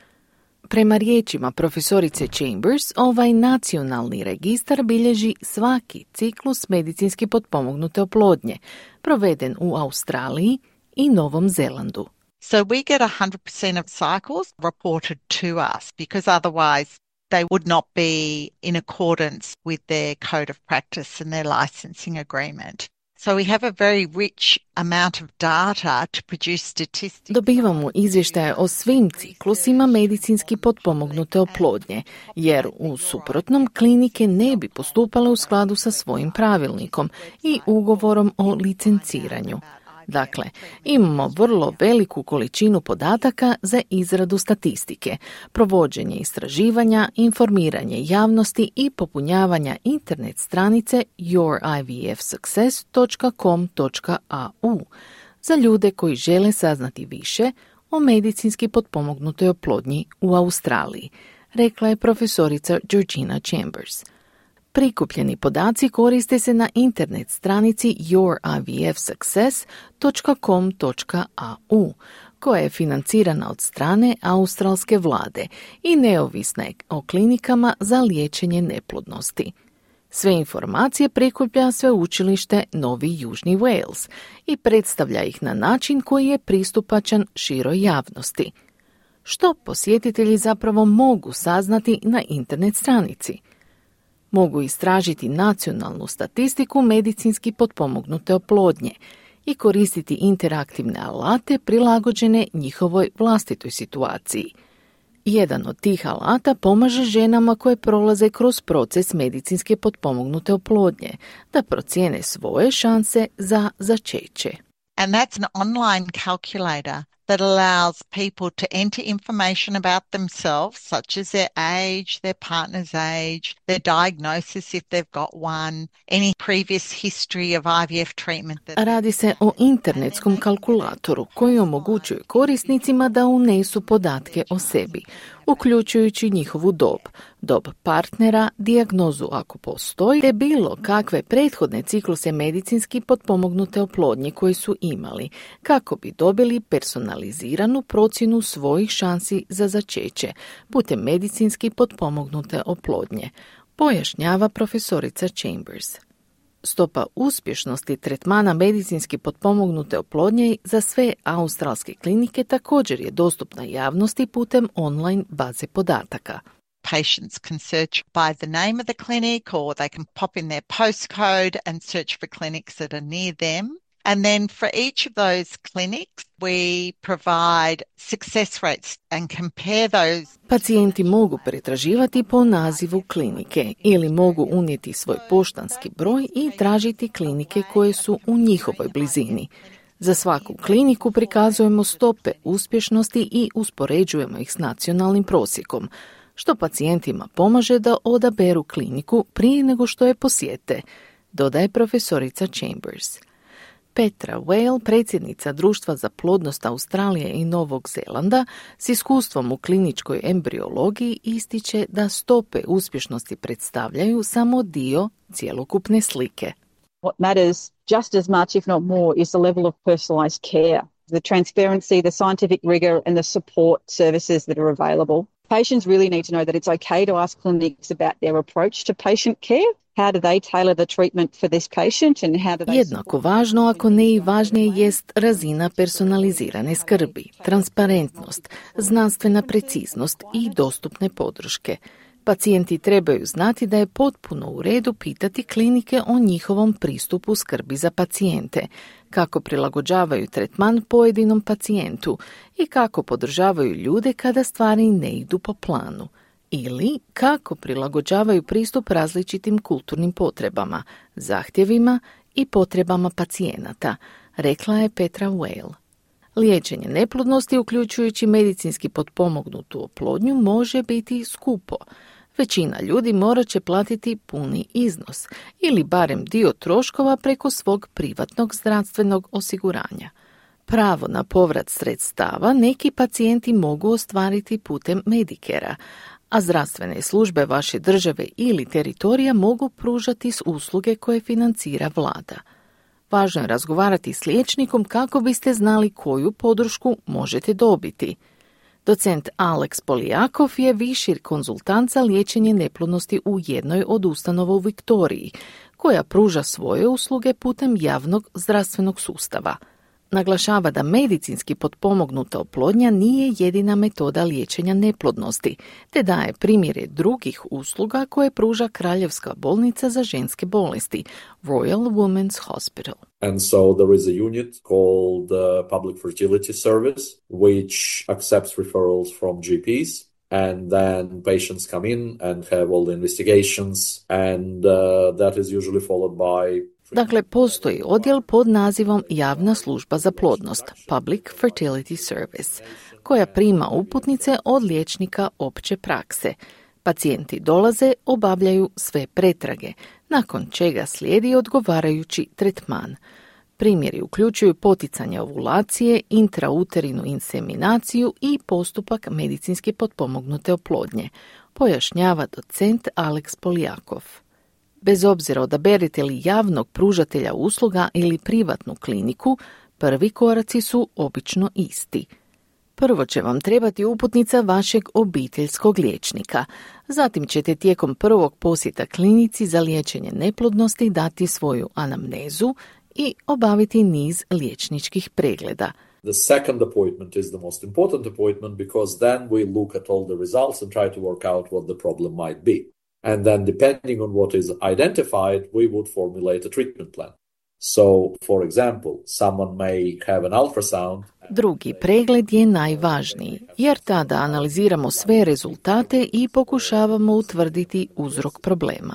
Prema riječima profesorice Chambers, ovaj nacionalni registar bilježi svaki ciklus medicinski potpomognute oplodnje, proveden u Australiji i Novom Zelandu. So we get 100% of cycles reported to us because otherwise they would not be in accordance with their code of practice and their licensing agreement. So we have a very rich amount of data to produce statistics. Dobivamo izvještaje o svim ciklusima medicinski potpomognute oplodnje, jer u suprotnom klinike ne bi postupale u skladu sa svojim pravilnikom i ugovorom o licenciranju. Dakle, imamo vrlo veliku količinu podataka za izradu statistike, provođenje istraživanja, informiranje javnosti i popunjavanja internet stranice yourivfsuccess.com.au za ljude koji žele saznati više o medicinski potpomognutoj oplodnji u Australiji, rekla je profesorica Georgina Chambers. Prikupljeni podaci koriste se na internet stranici yourivfsuccess.com.au, koja je financirana od strane australske vlade i neovisna je o klinikama za liječenje neplodnosti. Sve informacije prikuplja sveučilište Novi Južni Wales i predstavlja ih na način koji je pristupačan široj javnosti. Što posjetitelji zapravo mogu saznati na internet stranici? Mogu istražiti nacionalnu statistiku medicinski potpomognute oplodnje i koristiti interaktivne alate prilagođene njihovoj vlastitoj situaciji. Jedan od tih alata pomaže ženama koje prolaze kroz proces medicinske potpomognute oplodnje da procijene svoje šanse za začeće. And that's an online calculator that allows people to enter information about themselves, such as their age, their partner's age, their diagnosis if they've got one, any previous history of IVF treatment. Radi se o internetskom kalkulatoru koji omogućuje korisnicima da unesu podatke o sebi, uključujući njihovu dob partnera, dijagnozu ako postoji, te bilo kakve prethodne cikluse medicinski potpomognute oplodnje koje su imali, kako bi dobili personaliziranu procjenu svojih šansi za začeće putem medicinski potpomognute oplodnje, pojašnjava profesorica Chambers. Stopa uspješnosti tretmana medicinski potpomognute oplodnje za sve australske klinike također je dostupna javnosti putem online baze podataka. Patients can search by the name of the clinic or they can pop in their postcode and search for clinics that are near them. And then for each of those clinics, we provide success rates and compare those. Pacijenti mogu pretraživati po nazivu klinike ili mogu unijeti svoj poštanski broj i tražiti klinike koje su u njihovoj blizini. Za svaku kliniku prikazujemo stope uspješnosti i uspoređujemo ih s nacionalnim prosjekom, što pacijentima pomaže da odaberu kliniku prije nego što je posjete, dodaje profesorica Chambers. Petra Whale, predsjednica Društva za plodnost Australije i Novog Zelanda, s iskustvom u kliničkoj embriologiji ističe da stope uspješnosti predstavljaju samo dio cjelokupne slike. What matters just as much, if not more, is the level of personalised care, the transparency, the scientific rigour and the support services that are available. Patients really need to know that it's okay to ask clinics about their approach to patient care. How do they tailor the treatment for this patient and how do they... Jednako važno, ako ne i važnije, jest razina personalizirane skrbi, transparentnost, znanstvena preciznost i dostupne podrške. Pacijenti trebaju znati da je potpuno u redu pitati klinike o njihovom pristupu skrbi za pacijente, kako prilagođavaju tretman pojedinom pacijentu i kako podržavaju ljude kada stvari ne idu po planu. Ili kako prilagođavaju pristup različitim kulturnim potrebama, zahtjevima i potrebama pacijenata, rekla je Petra Whale. Liječenje neplodnosti, uključujući medicinski potpomognutu oplodnju, može biti skupo. Većina ljudi morat će platiti puni iznos ili barem dio troškova preko svog privatnog zdravstvenog osiguranja. Pravo na povrat sredstava neki pacijenti mogu ostvariti putem Medicarea, a zdravstvene službe vaše države ili teritorija mogu pružati usluge koje financira vlada. Važno je razgovarati s liječnikom kako biste znali koju podršku možete dobiti. Docent Alex Polijakov je viši konzultant za liječenje neplodnosti u jednoj od ustanova u Viktoriji, koja pruža svoje usluge putem javnog zdravstvenog sustava. Naglašava da medicinski potpomognuta oplodnja nije jedina metoda liječenja neplodnosti, te daje primjere drugih usluga koje pruža Kraljevska bolnica za ženske bolesti, Royal Women's Hospital. And so there is a unit called Public Fertility Service, which accepts referrals from GPs. And then patients come in and have all the investigations, and that is usually followed by... Dakle, postoji odjel pod nazivom Javna služba za plodnost, Public Fertility Service, koja prima uputnice od liječnika opće prakse. Pacijenti dolaze, obavljaju sve pretrage, nakon čega slijedi odgovarajući tretman. Primjeri uključuju poticanje ovulacije, intrauterinu inseminaciju i postupak medicinski potpomognute oplodnje, pojašnjava docent Alex Poljakov. Bez obzira odaberete li javnog pružatelja usluga ili privatnu kliniku, prvi koraci su obično isti. Prvo će vam trebati uputnica vašeg obiteljskog liječnika. Zatim ćete tijekom prvog posjeta klinici za liječenje neplodnosti dati svoju anamnezu i obaviti niz liječničkih pregleda. The second appointment is the most important appointment because then we look at all the results and try to work out what the problem might be. And then depending on what is identified, we would formulate a treatment plan. So, for example, someone may have an ultrasound. Drugi pregled je najvažniji, jer tada analiziramo sve rezultate i pokušavamo utvrditi uzrok problema.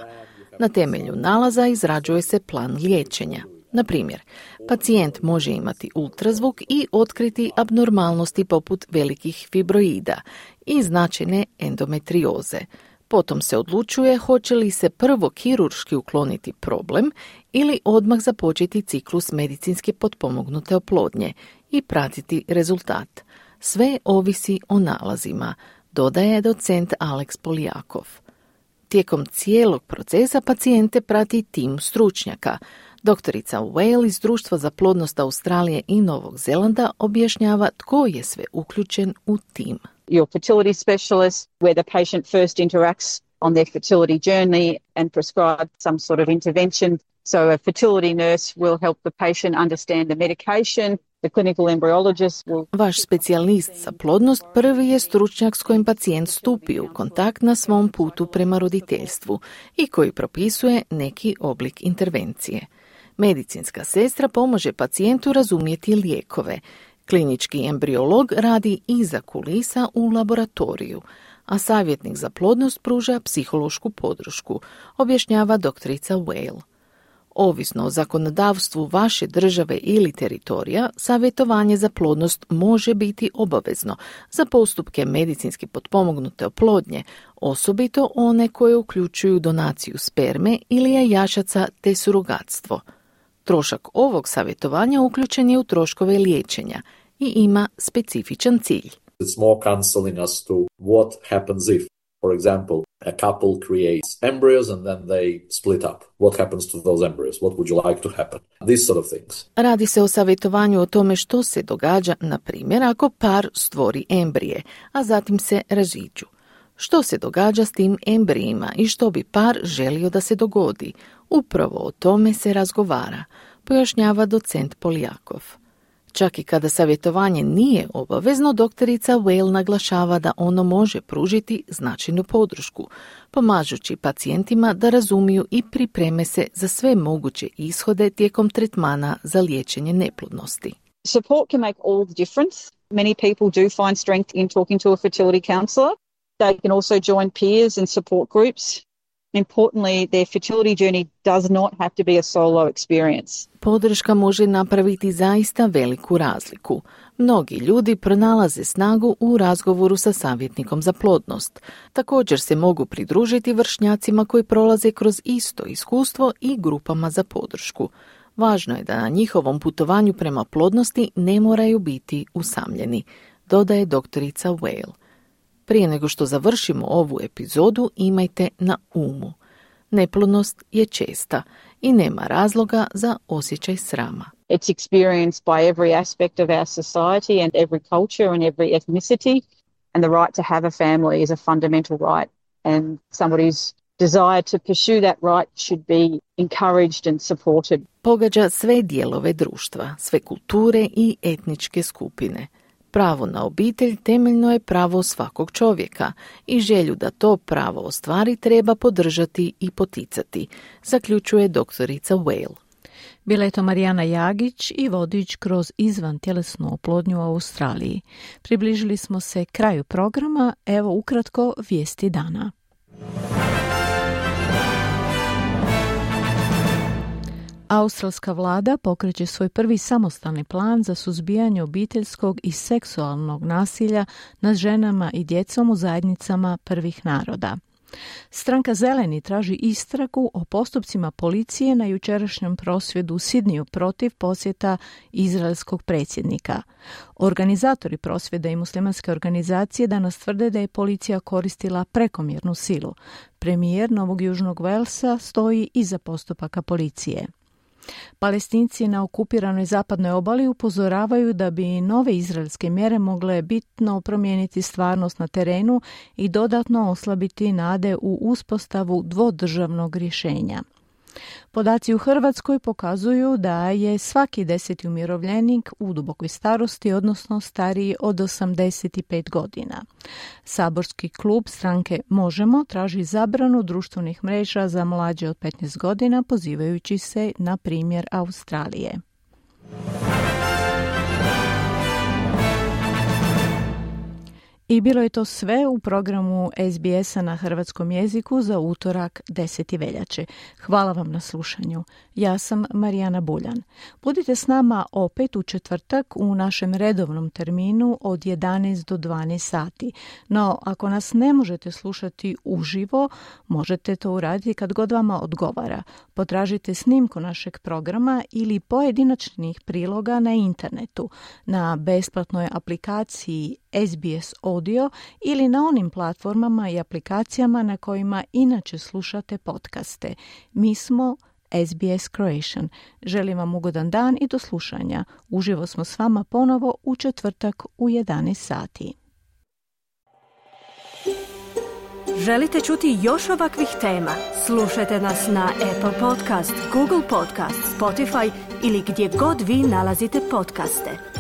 Na temelju nalaza izrađuje se plan liječenja. Na primjer, pacijent može imati ultrazvuk i otkriti abnormalnosti poput velikih fibroida i značajne endometrioze. Potom se odlučuje hoće li se prvo kirurški ukloniti problem ili odmah započeti ciklus medicinski potpomognute oplodnje i pratiti rezultat. Sve ovisi o nalazima, dodaje docent Alex Poljakov. Tijekom cijelog procesa pacijente prati tim stručnjaka. Doktorica Whale iz Društva za plodnost Australije i Novog Zelanda objašnjava tko je sve uključen u tim. Your fertility specialist, where the patient first interacts on their fertility journey and prescribe some sort of intervention. So a fertility nurse will help the patient understand the medication. The clinical embryologist will... Vaš specijalist za plodnost prvi je stručnjak s kojim pacijent stupi u kontakt na svom putu prema roditeljstvu i koji propisuje neki oblik intervencije. Medicinska sestra pomože pacijentu razumjeti lijekove. Klinički embriolog radi iza kulisa u laboratoriju, a savjetnik za plodnost pruža psihološku podršku, objašnjava doktorica Whale. Ovisno o zakonodavstvu vaše države ili teritorija, savjetovanje za plodnost može biti obavezno za postupke medicinski potpomognute oplodnje, osobito one koje uključuju donaciju sperme ili jajašaca te surogatstvo. Trošak ovog savjetovanja uključen je u troškove liječenja i ima specifičan cilj. It's more counseling us to what happens if, for example, a couple creates embryos and then they split up. What happens to those embryos? What would you like to happen? These sort of things. Radi se o savjetovanju o tome što se događa, na primjer, ako par stvori embrije, a zatim se raziđu. Što se događa s tim embrijima i što bi par želio da se dogodi? Upravo o tome se razgovara, pojašnjava docent Poljakov. Čak i kada savjetovanje nije obavezno, doktorica Whale naglašava da ono može pružiti značajnu podršku, pomažući pacijentima da razumiju i pripreme se za sve moguće ishode tijekom tretmana za liječenje neplodnosti. Support can make all the difference. Many people do find strength in talking to a fertility counsellor. They can also join peers and support groups. Importantly, their fertility journey does not have to be a solo experience. Podrška može napraviti zaista veliku razliku. Mnogi ljudi pronalaze snagu u razgovoru sa savjetnikom za plodnost. Također se mogu pridružiti vršnjacima koji prolaze kroz isto iskustvo i grupama za podršku. Važno je da na njihovom putovanju prema plodnosti ne moraju biti usamljeni, dodaje doktorica Whale. Prije nego što završimo ovu epizodu, imajte na umu. Neplodnost je česta i nema razloga za osjećaj srama. It's experienced by every aspect of our society and every culture and every ethnicity, and the right to have a family is a fundamental right, and somebody's desire to pursue that right should be encouraged and supported. Pogađa sve dijelove društva, sve kulture i etničke skupine. Pravo na obitelj temeljno je pravo svakog čovjeka i želju da to pravo ostvari treba podržati i poticati, zaključuje doktorica Whale. Bila je to Marijana Jagić i vodič kroz izvantjelesnu oplodnju u Australiji. Približili smo se kraju programa, evo ukratko vijesti dana. Australska vlada pokreće svoj prvi samostalni plan za suzbijanje obiteljskog i seksualnog nasilja nad ženama i djecom u zajednicama prvih naroda. Stranka Zeleni traži istragu o postupcima policije na jučerašnjem prosvjedu u Sidniju protiv posjeta izraelskog predsjednika. Organizatori prosvjeda i muslimanske organizacije danas tvrde da je policija koristila prekomjernu silu. Premijer Novog Južnog Velsa stoji iza postupaka policije. Palestinci na okupiranoj zapadnoj obali upozoravaju da bi nove izraelske mjere mogle bitno promijeniti stvarnost na terenu i dodatno oslabiti nade u uspostavu dvodržavnog rješenja. Podaci u Hrvatskoj pokazuju da je svaki 10. umirovljenik u dubokoj starosti, odnosno stariji od 85 godina. Saborski klub stranke Možemo traži zabranu društvenih mreža za mlađe od 15 godina, pozivajući se na primjer Australije. I bilo je to sve u programu SBS-a na hrvatskom jeziku za utorak 10. veljače. Hvala vam na slušanju. Ja sam Marijana Buljan. Budite s nama opet u četvrtak u našem redovnom terminu od 11 do 12 sati. No, ako nas ne možete slušati uživo, možete to uraditi kad god vama odgovara. Potražite snimku našeg programa ili pojedinačnih priloga na internetu, na besplatnoj aplikaciji SBS Audio ili na onim platformama i aplikacijama na kojima inače slušate podcaste. Mi smo SBS Croatian. Želim vam ugodan dan i do slušanja. Uživo smo s vama ponovo u četvrtak u 11 sati. Želite čuti još ovakvih tema? Slušajte nas na Apple Podcast, Google Podcast, Spotify ili gdje god vi nalazite podcaste.